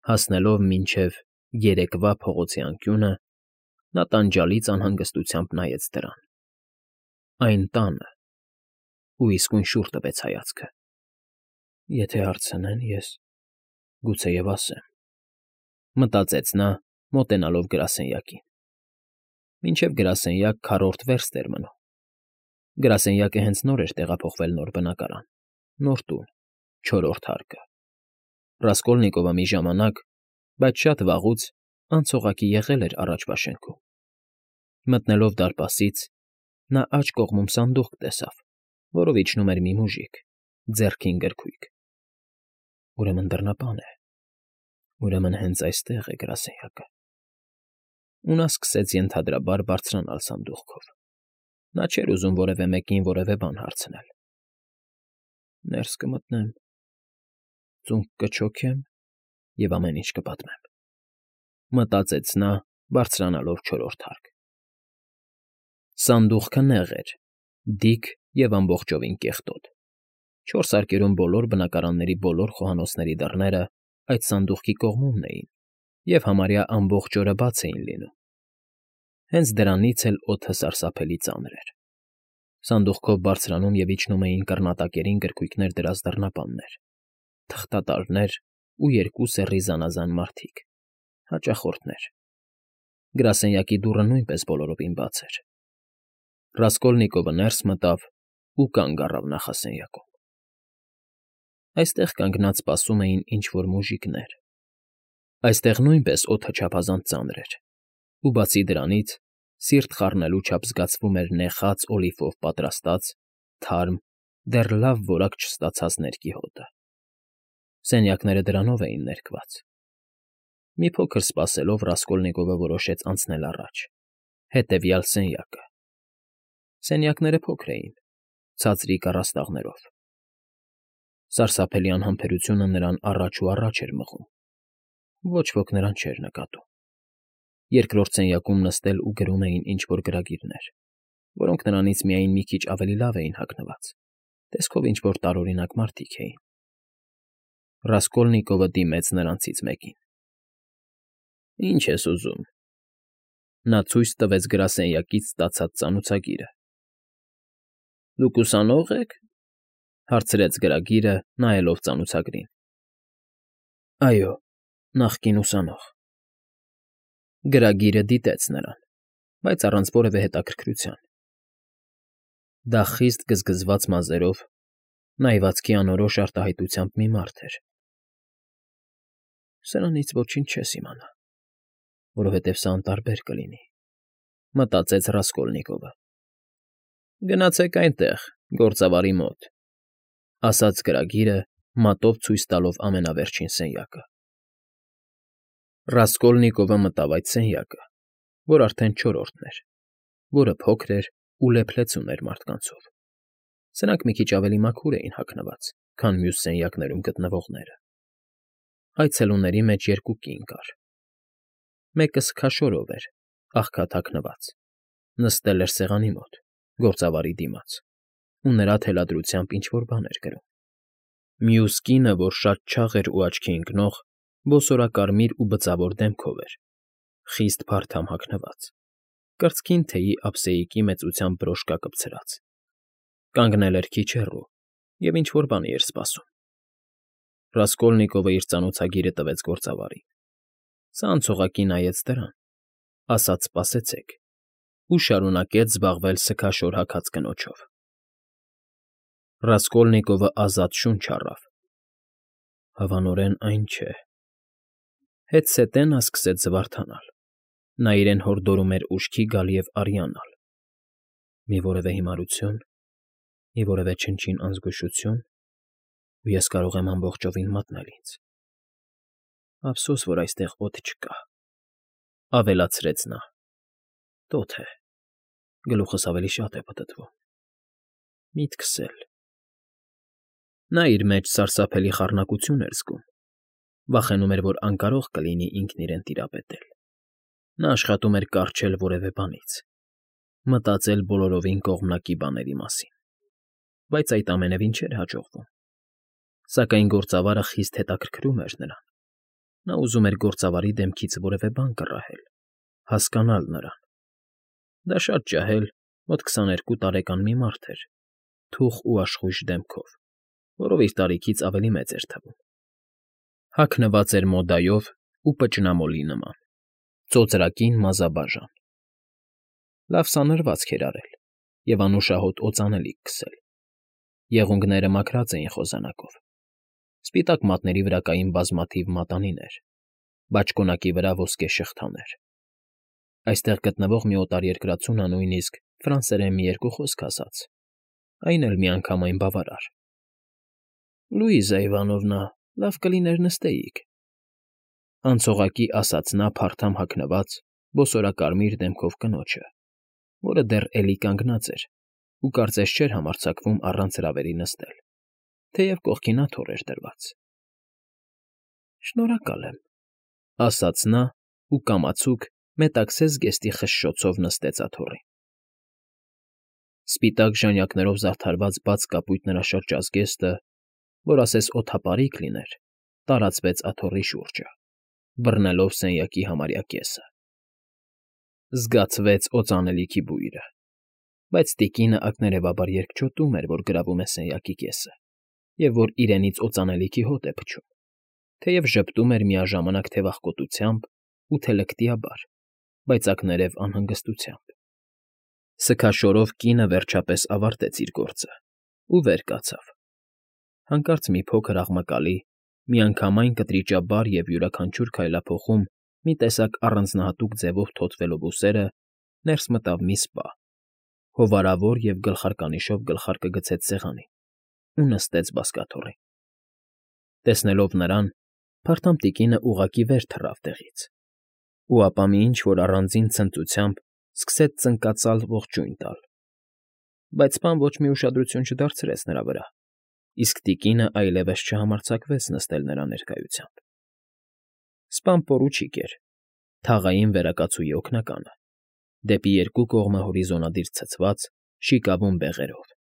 Հասնելով մինչև երեկվա փողոցի անկյունը, նա տանջալից անհանգստությամբ նայեց դրան. այն տանը, ու իսկույն շուռ տվեց հայացքը։ Եթե հարցնեն, ես գուցեև ասեմ, մտածեց նա, մոտենալով գրասենյակին։ Մինչև գրասենյակ 4-րդ վերստ էր մնում։ Գրասենյակը հենց նոր էր տեղափոխվել նոր բնակարան, նոր տուն, 4-րդ հարկը։ Ռասկոլնիկովը մի ժամանակ, բայց շատ վաղուց անցողակի եղել էր առաջվա շենքում։ Մտնելով դարպասից, նա աջ կողմում սանդուղք տեսավ, որով իջնում էր մի մուժիկ, ձեռքին գրքույկ։ Ուրեմն դռնապան է։ Ուրեմն հենց այստեղ է գրասենյակը։ Ու նա սկսեց ենթադրաբար բարձրանալ սանդուղքով։ Նա չէր ուզում որևէ մեկին որևէ բան հարցնել։ Ներս կմտնեմ, ծունկ կչոքեմ և ամեն ինչ կպատմեմ, մտածեց նա, բարձրանալով 4-րդ հարկ։ Սանդուղքը նեղ էր, դիք և ամբողջովին կեղտոտ։ 4 հարկերում բոլոր բնակարանների բոլոր խոհանոցների դռները այդ սանդուղքի կողմումն էին և համարյա ամբողջ օրը բաց էին լինում։ Հենց դրանից էլ օդը սարսափելի ծանր էր։ Սանդուղքով բարձրանում և իջնում էին կռնատակերին գրքույկներ դրած դռնապաններ, թղթատարներ ու 2 սեռի զանազան մարդիկ, հաճախորդներ։ Գրասենյակի դուռը նույնպես բոլորովին բաց էր։ Ռասկոլնիկովը ներս մտավ ու կանգ առավ նախասենյակում։ Այստեղ կանգնած սպասում էին ինչ֊որ մուժիկներ։ Այստեղ նույնպես օդը չափազանց ծանր էր, ու բացի դրանից, սիրտ խառնելու չափ զգացվում էր նեխած օլիվով պատրաստած, թարմ, դեռ լավ որակ չստացած ներկի հոտը։ Սենյակները դրանով էին ներկված։ Մի փոքր սպասելով Ռասկոլնիկովը որոշեց անցնել առաջ, հետևյալ սենյակը։ Սենյակները փոքր էին, ցածրիկ առաստաղներով։ Սարսափելի անհամբերությունը նրան առաջ ու առաջ էր մղում։ Ոչ ոք նրան չէր նկատում։ Երկրորդ սենյակում նստել ու գրում էին ինչ֊որ գրագիրներ, որոնք նրանից միայն մի քիչ ավելի լավ էին հագնված, տեսքով ինչ֊որ տարօրինակ մարդիկ էին։ Ռասկոլնիկովը դիմեց նրանցից մեկին։ Ինչ ես ուզում։ Նա ցույց տվեց գրասենյակից ստացած ծանոթագիրը։ Դուք ուսանո՞ղ եք, հարցրեց գրագիրը, նայելով ծանոթագրին։ Այո, նախկին ուսանող։ Գրագիրը դիտեց նրան, բայց առանց որևէ հետաքրքրության։ Դա խիստ գզգզված մազերով, նայվածքի անորոշ արտահայտությամբ մի մարդ էր։ Սրանից ոչինչ չես իմանա, որովհետև սա անտարբեր կլինի, մտածեց Ռասկոլնիկովը։ Գնացեք այնտեղ, գործավարի մոտ, ասաց գրագիրը, մատով ցույց տալով ամենավերջին սենյակը։ Ռասկոլնիկովը մտավ այդ սենյակը, որ արդեն 4-րդն էր, որը փոքր էր ու լեփլեցուն էր մարդկանցով։ Սրանք մի քիչ ավելի մաքուր էին հագնված, քան մյուս սենյակներում գտնվողները։ Այցելուների մեջ 2 կին կար։ Մեկը սքաշորով էր, աղքատ հագնված, նստել էր սեղանի մոտ, գործավարի դիմաց, ու նրա թելադրությամբ ինչ֊որ բան էր գրում։ Մյուս կինը, որ շատ չաղ էր ու աչքի ընկնող, ոսորակարմիր ու բծավոր դեմքով էր, խիստ փարթամ հագնված, կրծքին թեյի ափսեիկի մեծությամբ բրոշկա կպցրած։ Կանգնել էր քիչ հեռու և ինչ֊որ բանի էր սպասում։ Ռասկոլնիկովը իր ծանոթագիրը տվեց գործավարին։ Սա անցողակի նայեց դրան, ասաց «սպասեցեք» ու շարունակեց զբաղվել սքաշոր հագած կնոջով։ Ռասկոլնիկովը ազատ շունչ առավ։ Հավանորեն այն չէ։ Հետզհետե նա սկսեց զվարթանալ։ Նա իրեն հորդորում էր ուշքի գալ և արյանալ։ Մի որևէ հիմարություն, մի որևէ չնչին անզգուշություն, ու ես կարող եմ ամբողջովին մատնել ինձ։ Ափսոս, որ այստեղ օդ չկա, ավելացրեց նա։ Տոթ է, գլուխս ավելի շատ է պտտվում։ Միտքս էլ։ Նա իր մեջ սարսափելի խառնակություն էր զգում, վախենում էր, որ անկարող կլինի ինքն իրեն տիրապետել։ Նա աշխատում էր կառչել որևէ բանից, մտածել բոլորովին կողմնակի բաների մասին, բայց այդ ամենևին չէր հաջողվում։ Սակայն գործավարը խիստ հետաքրքրում էր նրան։ Նա ուզում էր գործավարի դեմքից որևէ բան կռահել, հասկանալ նրան։ Դա շատ ջահել, մոտ 22 տարեկան մի մարդ էր, թուխ ու աշխույժ դեմքով, որով իր տարիքից ավելի մեծ էր թվում։ Հագնված էր մոդայով ու պճնամոլի նման, ծոծրակին մազաբաժան։ Լավ սանրվածք էր արել և անուշահոտ օծանելիք քսել։ Եղունգները մաքրած էին խոզանակով։ Սպիտակ մատների վրա կային բազմաթիվ մատանիներ, բաճկոնակի վրա ոսկե շղթաներ։ Այստեղ գտնվող մի օտարերկրացու նա նույնիսկ ֆրանսերեն մի երկու խոսք ասաց, այն էլ միանգամայն բավարար։ ֊ Լուիզա Իվանովնա, լավ կլիներ նստեիք,֊ անցողակի ասաց նա փարթամ հագնված, բոսորակարմիր դեմքով կնոջը, որը դեռ էլի կանգնած էր ու կարծես չէր համարձակվում առանց հրավերի նստել, թեև կողքին աթոռ էր դրված։ ֊ Շնորհակալ եմ,֊ ասաց նա ու կամացուկ մետաքսե զգեստի խշշոցով նստեց աթոռին։ Սպիտակ ժանյակներով զարդարված բաց կապույտ նրա շրջազգեստը, որ ասես օդապարիկ լիներ, տարածվեց աթոռի շուրջը, բռնելով սենյակի համարյա կեսը։ Զգացվեց օծանելիքի բույրը, բայց տիկինը ակներևաբար երկչոտում էր, որ գրավում է սենյակի կեսը, և որ իրենից օծանելիքի հոտ է փչում, թեև ժպտում էր միաժամանակ թե վախկոտությամբ ու թե լկտիաբար, բայց ակներև անհանգստությամբ։ Սգաշորով կինը վերջապես ավարտեց իր գործը ու վեր կացավ։ Հանկարծ մի փոքր աղմկալի, միանգամայն կտրիճաբար և յուրաքանչյուր քայլափոխում մի տեսակ առանձնահատուկ ձևով թոթվելով ուսերը, ներս մտավ մի սպա, հովարավոր և գլխարկանիշով գլխարկը գցեց սեղանին ու նստեց բազկաթոռին։ Տեսնելով նրան, փարթամ տիկինը ուղղակի վեր թռավ տեղից, ու ապա մի ինչ֊որ առանձին ցնծությամբ սկսեց ծնկածալ ողջույն տալ, բայց սպան ոչ մի ուշադրություն չդարձրեց նրա վրա, իսկ տիկինը այլևս չհամարձակվեց նստել նրա ներկայությամբ։ Սպան պորուչիկ էր, թաղային վերակացուի օգնականը, դեպի երկու կողմը հորիզոնադիր ցցված, շիկավուն բեղերով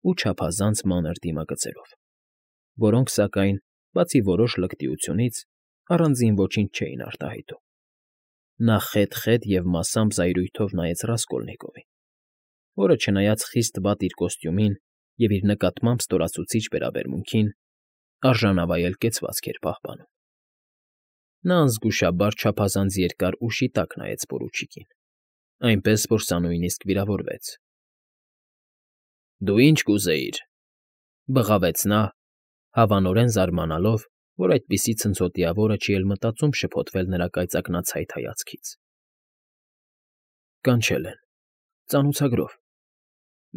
ու չափազանց մանր դիմագծերով, որոնք, սակայն, բացի որոշ լկտիությունից, առանձին ոչինչ չէին արտահայտում։ Նա խետ և մասամբ զայրույթով նայեց Ռասկոլնիկովին, որը, չնայած խիստ վատ իր կոստյումին և իր նկատմամբ ստորացուցիչ վերաբերմունքին, արժանավայել կեցվածք էր պահպանում։ Նա անզգուշաբար չափազանց երկար ու շիտակ նայեց պորուչիկին, այնպես որ սա նույնիսկ վիրավորվեց։ ֊ Դու ինչ կուզեիր,֊ բղավեց նա, հավանորեն զարմանալով, որ այդպիսի ցնցոտիավորը չի էլ մտածում շփոթվել նրա կայծակնացայտ հայացքից։ ֊ Կանչել են, ծանոթագրով,֊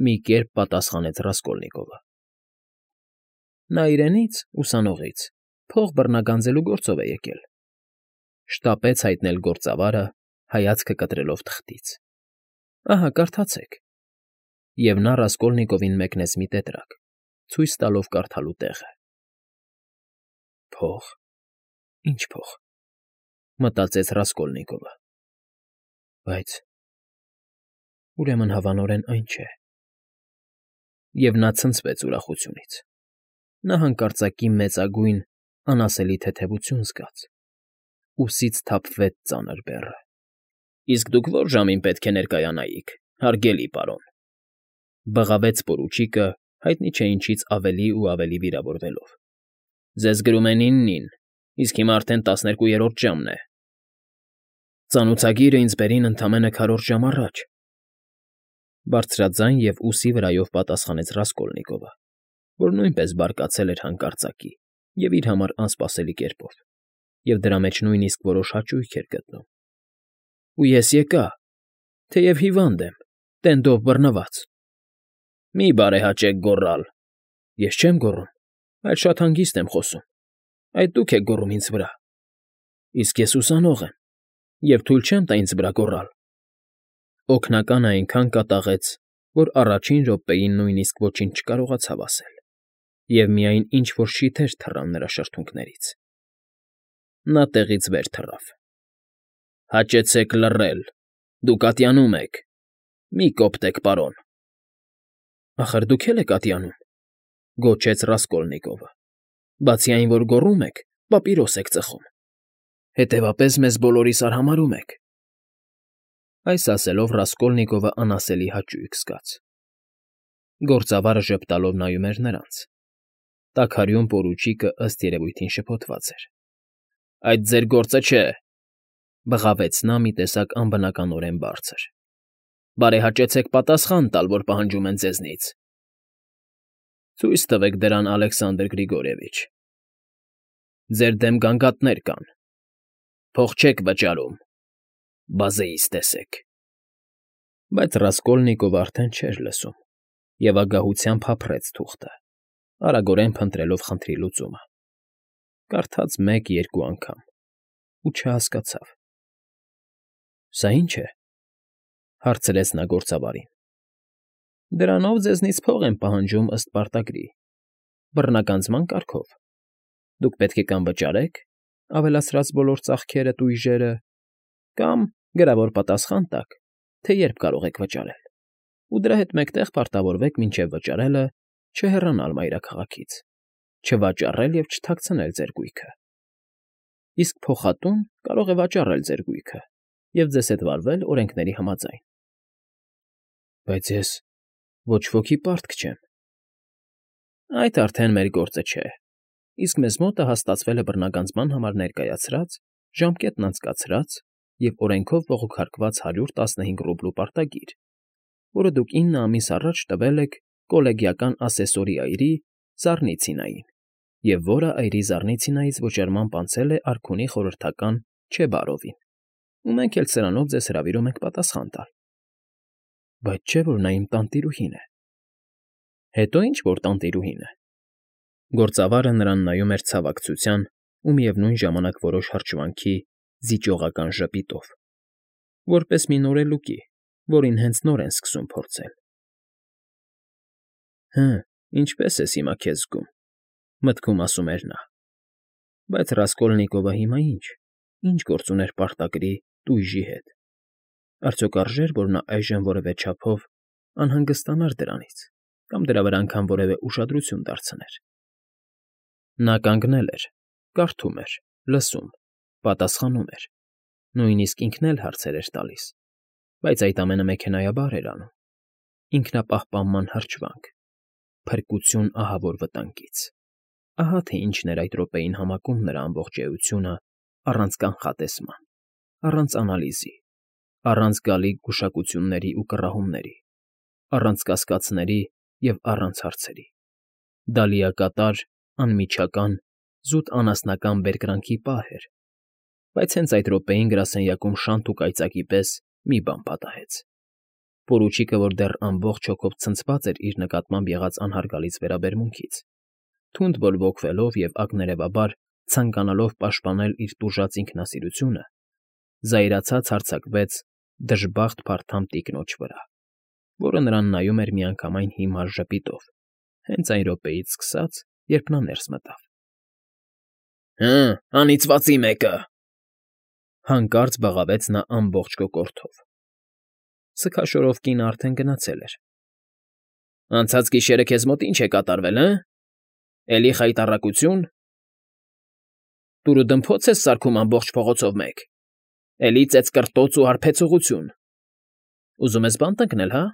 մի կերպ պատասխանեց Ռասկոլնիկովը։ ֊ Նա իրենից՝ ուսանողից, փող բռնագանձելու գործով է եկել,֊ շտապեց հայտնել գործավարը, հայացքը կտրելով թղթից։ ֊ Ահա, կարդացեք։ Եվ նա Ռասկոլնիկովին մեկնեց մի տետրակ, ցույց տալով կարդալու տեղը։ Փող, ի՞նչ փող,֊ մտածեց Ռասկոլնիկովը։ Բայց… ուրեմն հավանորեն այն չէ։ Եվ նա ցնցվեց ուրախությունից։ Նա հանկարծակի մեծագույն, անասելի թեթևություն զգաց։ Ուսից թափվեց ծանր բեռը։ ֊ Իսկ դուք ո՞ր ժամին պետք է ներկայանայիք, հարգելի պարոն,֊ բղավեց պորուչիկը, հայտնի չէ ինչից ավելի ու ավելի վիրավորվելով։ ֊ Ձեզ գրում են 9-ին, իսկ հիմա արդեն 12-րդ ժամն է։ ֊ Ծանոթագիրը ինձ բերին ընդամենը քառորդ ժամ առաջ,֊ բարձրաձայն և ուսի վրայով պատասխանեց Ռասկոլնիկովը, որ նույնպես բարկացել էր հանկարծակի և իր համար անսպասելի կերպով, և դրա մեջ նույնիսկ որոշ հաճույք էր գտնում։ ֊ Ու ես եկա, թեև հիվանդ եմ, տենդով բռնված։ ֊ Մի՛ բարեհաճեք գոռալ,֊ Ես չեմ գոռում, այլ շատ հանգիստ եմ խոսում, այդ դուք եք գոռում ինձ վրա։ ֊ Իսկ ես ուսանող եմ և թույլ չեմ տա ինձ վրա գոռալ։ Օգնականը այնքան կատաղեց, որ առաջին րոպեին նույնիսկ ոչինչ չկարողացավ ասել, և միայն ինչ֊որ շիթեր թռան նրա շրթունքներից։ Նա տեղից վեր թռավ։ ֊ Հաճեցեք լռել, դուք ատյանում եք, մի կոպտեք, պարոն։ ֊ Ախր դուք էլ եք ատյանում,֊ գոչեց Ռասկոլնիկովը,֊ բացի այն, որ գոռում եք, պապիրոս եք ծխում։ Հետևապես մեզ բոլորիս արհամարհում եք։ Այս ասելով Ռասկոլնիկովը անասելի հաճույք զգաց։ Գործավարը ժպտալով նայում էր նրանց։ Տաքարյուն պորուչիկը ըստ երևույթին շփոթված էր։ Այդ ձեր գործը չէ,֊ բղավեց նա մի տեսակ անբնականորեն բարձր։ Բարեհաճեցեք պատասխան տալ, որ պահանջում են ձեզնից։ Ցույց տվեք դրան, Ալեքսանդր Գրիգորիևիչ։ Ձեր դեմ գանգատներ կան։ Փող չեք վճարում, բազեիս տեսեք։ Բայց Ռասկոլնիկովը արդեն չէր լսում և ագահությամբ հափռեց թուղթը, արագորեն փնտրելով խնդրի լուծումը։ Կարդաց 1-2 անգամ ու չհասկացավ։ Սա ի՞նչ է,֊ հարցրեց նա գործավարին։ Դրանով ձեզնից փող են պահանջում ըստ պարտագրի, բռնագանձման կարգով։ Դուք պետք է կամ վճարեք, ավելացրած բոլոր ծախքերը, տույժերը, կամ գրավոր պատասխան տաք, թե երբ կարող եք վճարել, ու դրա հետ մեկտեղ պարտավորվեք մինչև վճարելը չհեռանալ մայրաքաղաքից, չվաճառել և չթաքցնել ձեր գույքը։ Իսկ փոխատուն կարող է վաճառել ձեր գույքը և ձեզ հետ վարվել օրենքների համաձայն։ Բայց ես ոչ ոքի պարտք չեմ։ Այդ արդեն մեր գործը չէ, իսկ մեզ մոտը հաստատվել է բռնագանձման համար ներկայացրած, ժամկետն անցկացրած և օրենքով բողոքարկված 115 ռուբլու պարտագիր, որը դուք 9 ամիս առաջ տվել եք կոլեգիական ասեսորի այրի Զառնիցինային, և որը այրի Զառնիցինայից վճարմամբ անցել է արքունի խորհրդական Չեբարովին, ու մենք էլ սրանով ձեզ հրավիրում ենք պատասխան տալ։ Բայց չէ՞ որ նա իմ տանտիրուհին է։ Հետո ինչ որ տանտիրուհին է։ Գործավարը նրան նայում էր ցավակցության ու միևնույն ժամանակ որոշ հրճվանքի զիջողական ժպիտով, որպես մի նորելուկի, որին հենց նոր են սկսում փորձել։ Հը, ինչպես ես հիմա քեզ զգում,֊ մտքում ասում էր նա։ Բայց Ռասկոլնիկովը հիմա ինչ գործ ուներ պարտագրի տույժի հետ։ Արդյոք արժեր, որ նա այժմ որևէ չափով անհանգստանար դրանից կամ դրա վրա անգամ որևէ ուշադրություն դարձներ։ Նա կանգնել էր, կարդում էր, լսում, պատասխանում էր, նույնիսկ ինքն էլ հարցեր էր տալիս, բայց այդ ամենը մեքենայաբար էր անում։ Ինքնապահպանման հրճվանք, փրկություն ահավոր վտանգից։ Ահա թե ինչն էր այդ րոպեին համակում նրա ամբողջ էությունը առանց կանխատեսման, առանց անալիզի, առանց գալիք գուշակությունների ու կռահումների, առանց կասկածների և առանց հարցերի։ Դա լիակատար, անմիջական, զուտ անասնական բերկրանքի պահ էր, բայց հենց այդ րոպեին գրասենյակում շանթ ու կայծակի պես մի բան պատահեց։ Պորուչիկը, որ դեռ ամբողջ հոգով ցնցված էր իր նկատմամբ եղած անհարգալից վերաբերմունքից, թունդ բորբոքվելով և ակներևաբար ցանկանալով պաշտպանել իր տուժած ինքնասիրությունը, զայրացած հարձակվեց դժբախտ փարթամ տիկնոջ վրա, որը նրան նայում էր միանգամայն հիմար ժպիտով, հենց այն րոպեից սկսած, երբ նա ներս մտավ։ Հը, անիծվածի մեկը,֊ հանկարծ բղավեց նա ամբողջ կոկորդով։ Սգաշորով կինը արդեն գնացել էր։ Անցած գիշերը քեզ մոտ ինչ է կատարվել, հը՞։ Էլի խայտառակություն։ Դուրուդմփոց ես սարքում ամբողջ փողոցով մեկ։ Էլի ծեծկռտոց ու հարբեցողություն։ Ուզում ես բան տնկնել, հա։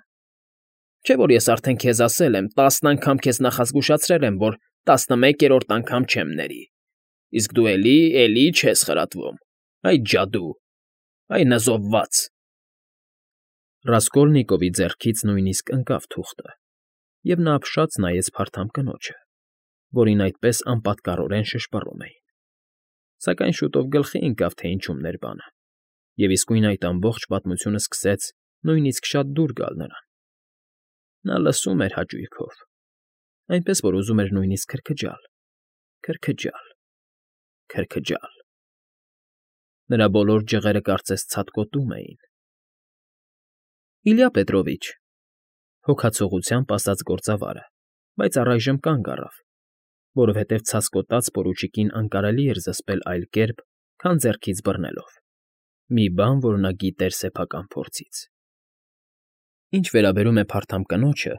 Չէ՞ որ ես արդեն քեզ ասել եմ, 10 անգամ քեզ նախազգուշացրել եմ, որ 11-րդ անգամ չեմ ների, իսկ դու էլի չես խրատվում։ Այ ջադու, այ նզովված… Ռասկոլնիկովի ձեռքից նույնիսկ ընկավ թուղթը, և նա ապշած նայեց փարթամ կնոջը, որին այդպես անպատկառորեն շշպռում էին։ Սակայն շուտով գլխի ընկավ, թե ինչումն էր բանը, և իսկույն այդ ամբողջ պատմությունը սկսեց նույնիսկ շատ դուր գալ նրան։ Նա լսում էր հաճույքով, այնպես որ ուզում էր նույնիսկ քրքջալ, քրքջալ։ Նրա բոլոր ջղերը կարծես ցատկոտում էին։ Իլյա Պետրովիչ,֊ հոգացողությամբ ասաց գործավարը, բայց առայժմ կանգ առավ, որովհետև ցասկոտած պորուչիկին անկարելի էր զսպել այլ կերպ, քան ձեռքից բռնելով։ Մի բան, որ նա գիտեր սեփական փորձից։ Ինչ վերաբերում է փարթամ կնոջը,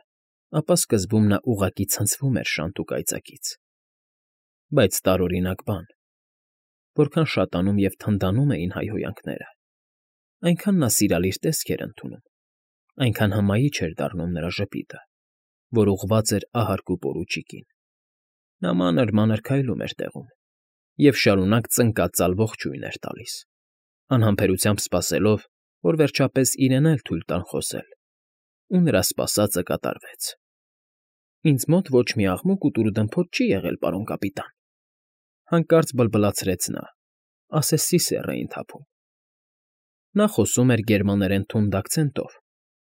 ապա սկզբում նա ուղղակի ցնցվում էր շանթ ու կայծակից։ Բայց տարօրինակ բան։ որքան շատանում և թնդանում էին հայհոյանքները, այնքան նա սիրալիր տեսք էր ընդունում, այնքան հմայիչ էր դառնում նրա ժպիտը, որ ուղղված էր ահարկու պորուչիկին։ Նա մանր֊մանր քայլում էր տեղում և շարունակ ծնկածալ ողջույն էր տալիս, անհամբերությամբ սպասելով, որ վերջապես իրեն էլ թույլ տան խոսել, ու նրա սպասածը կատարվեց։ «Ինձ մոտ ոչ մի աղմուկ ու տուր֊դմփոց չի եղել, պարոն կապիտան», հանկարծ բլբլացրեց նա, ասես սիսեռ էին թափում։ Նա խոսում էր գերմաներեն թունդ աքցենտով,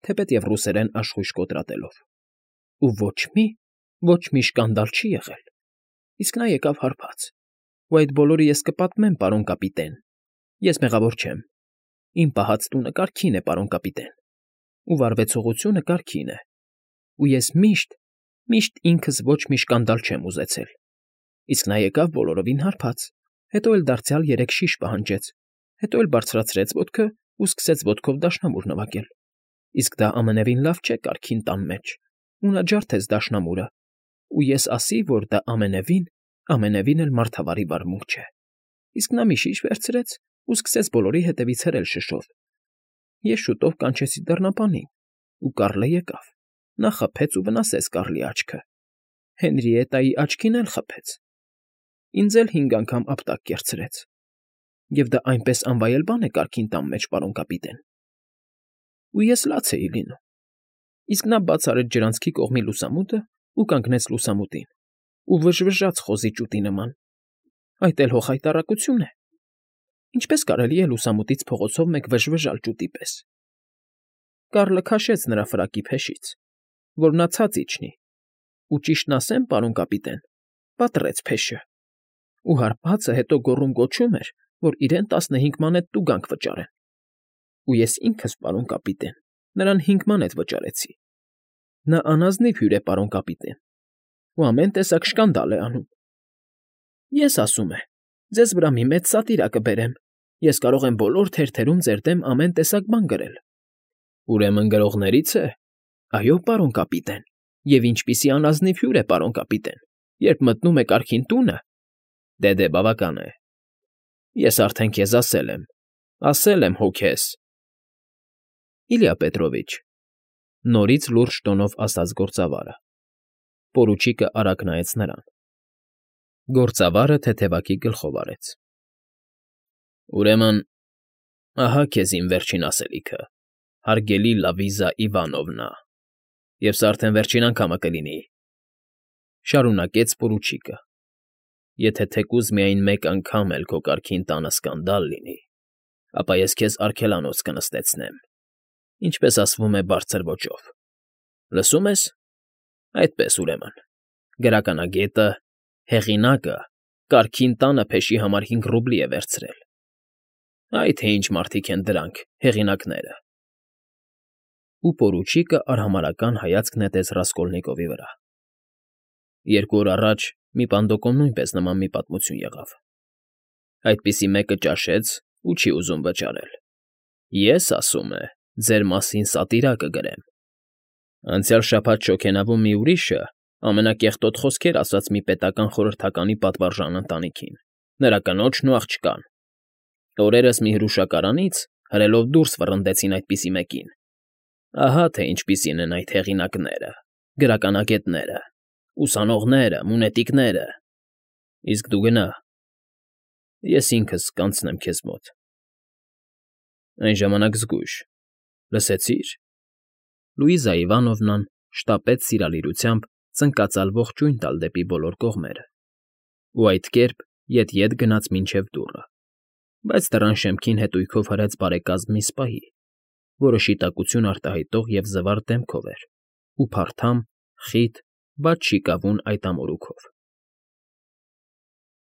թեպետև ռուսերեն աշխույժ կոտրատելով։ «Ու ոչ մի շկանդալ չի եղել, իսկ նա եկավ հարբած, ու այդ բոլորը ես կպատմեմ, պարոն կապիտեն, ես մեղավոր չեմ, իմ պահած տունը կարգին է, պարոն կապիտեն, ու վարվեցողությունը կարգին է, ու ես միշտ ինքս ոչ մի շկանդալ չեմ ուզեցել, իսկ նա եկավ բոլորովին հարբած, հետո էլ դարձյալ 3 շիշ պահանջեց, հետո էլ բարձրացրեց ոտքը ու սկսեց ոտքով դաշնամուր նվագել, իսկ դա ամենևին լավ չէ կարգին տան մեջ, ու նա ջարդեց դաշնամուրը, ու ես ասի, որ դա ամենևին էլ մարդավարի վարմունք չէ, իսկ նա մի շիշ վերցրեց ու սկսեց բոլորի հետևից հրել շշով։ Ես շուտով կանչեցի դռնապանին, ու Կառլը եկավ, նա խփեց ու վնասեց Կառլի աչքը, Հենրիետայի աչքին էլ խփեց, ինձ էլ 5 անգամ ապտակ կեռցրեց, և դա այնպես անվայել բան է կարգին տան մեջ, պարոն կապիտեն։ Ու ես լաց էի լինում, իսկ նա բաց արեց ջրանցքի կողմի լուսամուտը ու կանգնեց լուսամուտին ու վժվժաց խոզի ճուտի նման, այդ էլ հոխայտառակություն է, ինչպես կարելի է լուսամուտից փողոցով մեկ վժվժալ ճուտի պես։ Կառլը քաշեց նրա ֆրակի փեշից, որ նա ցած իջնի, ու ճիշտն ասեմ, պարոն կապիտեն, պատռեց փեշը, ու հարբածը հետո գոռում֊գոչում էր, որ իրեն 15 մանետ տուգանք վճարեն, ու ես ինքս, պարոն կապիտեն, նրան 5 մանետ վճարեցի։ Նա անազնիվ հյուր է, պարոն կապիտեն, ու ամեն տեսակ շկանդալ է անում։ Ես ասում է, ձեզ վրա մի մեծ սատիրա կբերեմ, ես կարող եմ բոլոր թերթերում ձեր դեմ ամեն տեսակ բան գրել։ Ուրեմն գրողների՞ց է։ Այո, պարոն կապիտեն, և ինչպիսի անազնիվ հյուր է, պարոն կապիտեն, երբ մտնում է կարգին տունը։ Դե, բավական է։ Ես արդեն քեզ ասել եմ հո քեզ։ Իլյա Պետրովիչ, նորից լուրջ տոնով ասաց գործավարը։ Պորուչիկը արագ նայեց նրան։ Գործավարը թեթևակի գլխով արեց։ Ուրեմն, ահա քեզ իմ վերջին ասելիքը, հարգելի Լավիզա Իվանովնա, և սա արդեն վերջին անգամը կլինի, շարունակեց պորուչիկը, եթե թեկուզ միայն մեկ անգամ էլ քո կարգին տանը սկանդալ լինի, ապա ես քեզ արգելանոց կնստեցնեմ, ինչպես ասվում է բարձր ոճով։ Լսում ես։ Այդպես ուրեմն, գրականագետը, հեղինակը կարգին տանը փեշի համար 5 ռուբլի է վերցրել։ Այ թե ինչ մարդիկ են դրանք, հեղինակները։ Ու պորուչիկը արհամարհական հայացք նետեց Ռասկոլնիկովի վրա։ 2 օր առաջ մի պանդոկում նույնպես նման մի պատմություն եղավ։ Այդպիսի մեկը ճաշեց ու չի ուզում վճարել։ Ես, ասում է, ձեր մասին սատիրա կգրեմ։ Անցյալ շաբաթ շոգենավում մի ուրիշը ամենակեղտոտ խոսքեր ասաց մի պետական խորհրդականի պատվարժան ընտանիքին, նրա կնոջն ու աղջկան։ Օրերս մի հրուշակարանից հրելով դուրս վռնդեցին այդպիսի մեկին։ Ահա թե ինչպիսին են այդ հեղինակները, գրականագետները, ուսանողները, մունետիկները։ Իսկ դու գնա, ես ինքս կանցնեմ քեզ մոտ։ Այն ժամանակ զգույշ, լսեցի՞ր։ Լուիզա Իվանովնան շտապեց սիրալիրությամբ ծնկածալ ողջույն տալ դեպի բոլոր կողմերը, ու այդ կերպ ետ գնաց մինչև դուռը, բայց դռան շեմքին հետույքով հրեց բարեկազմ մի սպահի, որը շիտակություն արտահայտող և զվարթ դեմքով էր ու փարթամ, խիտ, բայց շիկավուն այդ ամորուքով։